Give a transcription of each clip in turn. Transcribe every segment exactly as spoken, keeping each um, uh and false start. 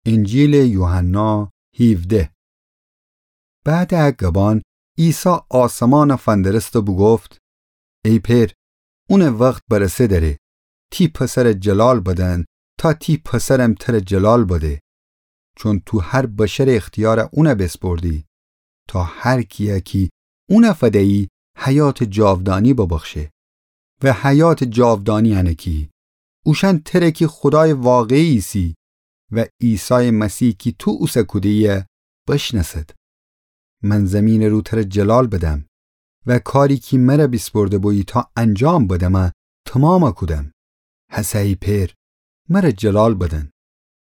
انجیلٚ یوحنا هیوده. بعدٚ ا گبأن عیسی آسمانَ فندرست و بوگفت: ای پئر، اونٚ وخت برسه دأره، تی پسرَ جلال بدن، تا تی پسرم ترَ جلال بده. چون تو هر بشرٚ اختیارَ اونَ بیسپردی، تا هر کیَ کی اونَ فدیی حیاتٚ جاودانی ببخشه. و حیاتٚ جاودانی انه کی اوشأن تره کی خودایٚ واقعی ایسی و عیسایٚ مسیح کی تو اوسه کودهیی بشنأسد. من زیمینٚ رو ترَ جلال بدم و کاری کی مرَ بیسپرده بویی تا انجام بدمَ تومامَ کودم. هسه ای پئر، مرَ جلال بدن،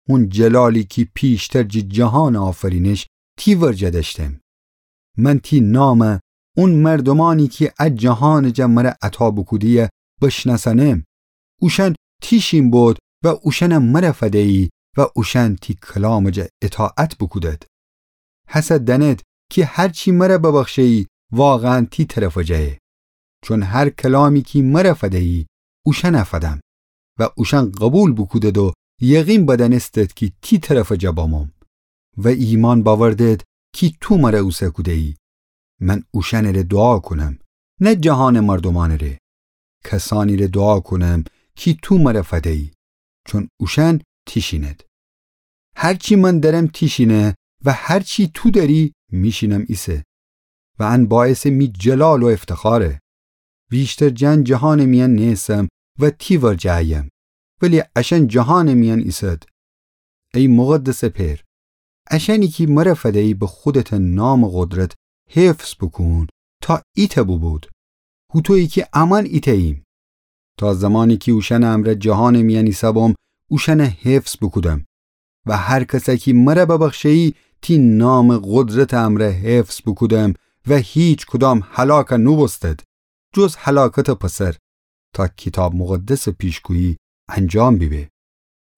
هون جلالی کی پیشتر جٚه جهانٚ آفرینش تی ورجه دأشتم. من تی نامَ اون مردومأنی کی ا جهانٚ جا مرَ عطا بوکودهیی بشنأسأنم. اوشأن تی شین بود و اوشأنَ مرَ فدیی و اوشأن تی کلامٚ جا اطاعت بوکودد. هسه دأنید کی هر چی مرَ ببخشهیی واقعاً تی طرفٚ جایه. چون هر کلامی کی مرَ فدیی اوشأنَ فدم و اوشأن قوبیل بوکودد و یقین بدأنستد کی تی طرفٚ جا بموم و ایمأن بأوردد کی تو مرَ اوسه کودهیی. من اوشأنٚره دوعا کونم، نه جهانٚ مردومأنٚره. کسأنیره دوعا کونم کی تو مرَ فدیی، چون اوشأن تی شینید. هر چی من دأرم تی شینه و هر چی تو دأری می شینم ایسه. و ان باعثٚ می جلال و افتخاره. ویشتر جٚه ان جهانٚ میأن نیسم و تی ورجه ایم، ولی اشأن جهانٚ میأن ایسد. ای مقدسٚ پئر، اشأنی کی مرَ فدیی به خودتٚ نامٚ قدرت حفظ بوکون تا ایتأ بوبود، هوطویی کی امأن ایتأییم. تا زمانی کی اوشأنٚ امرأ جهانٚ میأن ایسهبوم اوشأنَ حفظ بوکودم. و هر کسَ کی مرَ ببخشهیی تی نامٚ قدرتٚ امرأ حفظ بوکودم و هیکدام هلاکَ نوبوستد، جز هلاکتٚ پسر، تا کیتاب مقدسٚ پیشگویی انجام بیبه.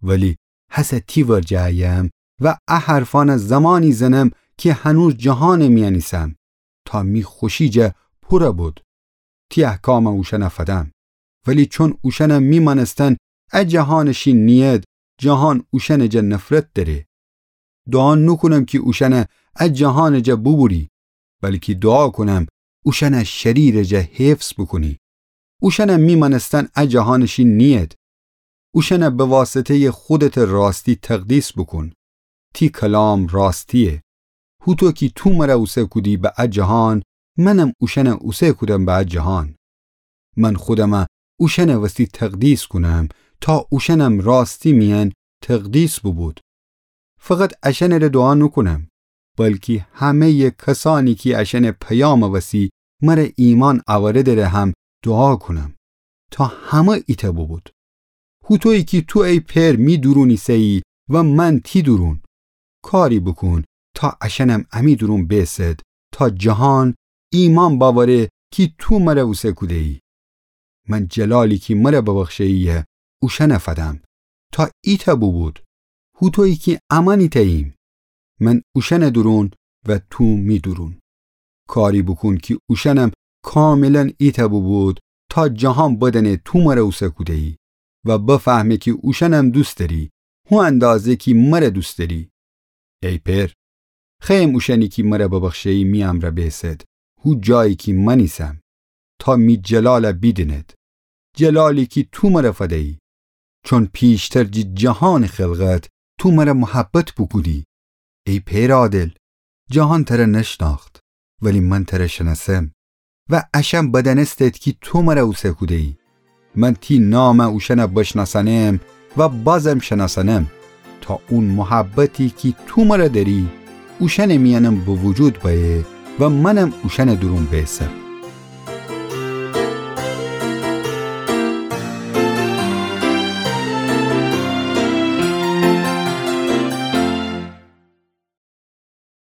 ولی هسه تی ورجه ایم و ا حرفأنَ زمانی زنم کی هنوز جهانٚ میأن ایسم، تا می خوشی جا پورَ بود. تی احکامَ اوشأنَ فدم. ولی چون اوشأنَ می مأنستن ا جهانٚ شین نیید، جهان اوشأنٚ جا نفرت دأره. دوعا نوکونم کی اوشأنَ ا جهانٚ جا بوبوری، بلکی دوعا کونم اوشأنَ شریرٚ جا حفظ بوکونی. اوشأنَ می مأنستن ا جهانٚ شین نیید. اوشأنَ به واسطهیٚ خودتٚ راستی تقدیس بوکون. تی کلام راستییه. هوطو کی تو مرَ اوسه کودی به ا جهان، منم اوشأنَ اوسه کودم به ا جهان. من خودمَ اوشأنٚ وستی تقدیس کونم، تا اوشأنم راستی میأن تقدیس بوبود. فقط اشأنٚره دوعا نوکونم، بلکی همهیٚ کسأنی کی اشأنٚ پیامٚ وسی مرَ ایمأن اوردٚره هم دوعا کونم، تا همه ایتأ بوبود. هوطویی کی تو ای پئر می دورون ایسهیی و من تی دورون. کاری بوکون تا اشأنم امی دورون بیسد، تا جهان ایمأن بأوره کی تو مرَ اوسه کودهیی. من جلالی کی مرَ ببخشهییه اوشأنَ فدم، تا ایتأ بوبود، هوطویی کی امأن ایتأییم، من اوشأنٚ دورون و تو می دورون. کاری بوکون کی اوشأنم کاملاً ایتأ بوبود، تا جهان بدأنه تو مرَ اوسه کودهیی و بفهمه کی اوشأنم دوست دأری، هو اندازه کی مرَ دوست دأری. ای پئر، خوأیم اوشأنی کی مرَ ببخشهیی می امرأ بیسد، هو جایی کی من ایسم، تا می جلالَ بیدینید، جلالی کی تو مرَ فدیی. چون پیشتر جٚه جهانٚ خلقت تو مرَ محبت بوکودی. ای پئرٚ عادل، جهان ترَ نشنأخت، ولی من ترَ شنأسم و اشأن بدأنستید کی تو مرَ اوسه کودهیی. من تی نامَ اوشأنَ بشنأسأنم و بازم شنأسأنم، تا اون محبتی کی تو مرَ دأری اوشأنٚ میأنم به وجود بأیه و منم اوشأنٚ دورون بیسم.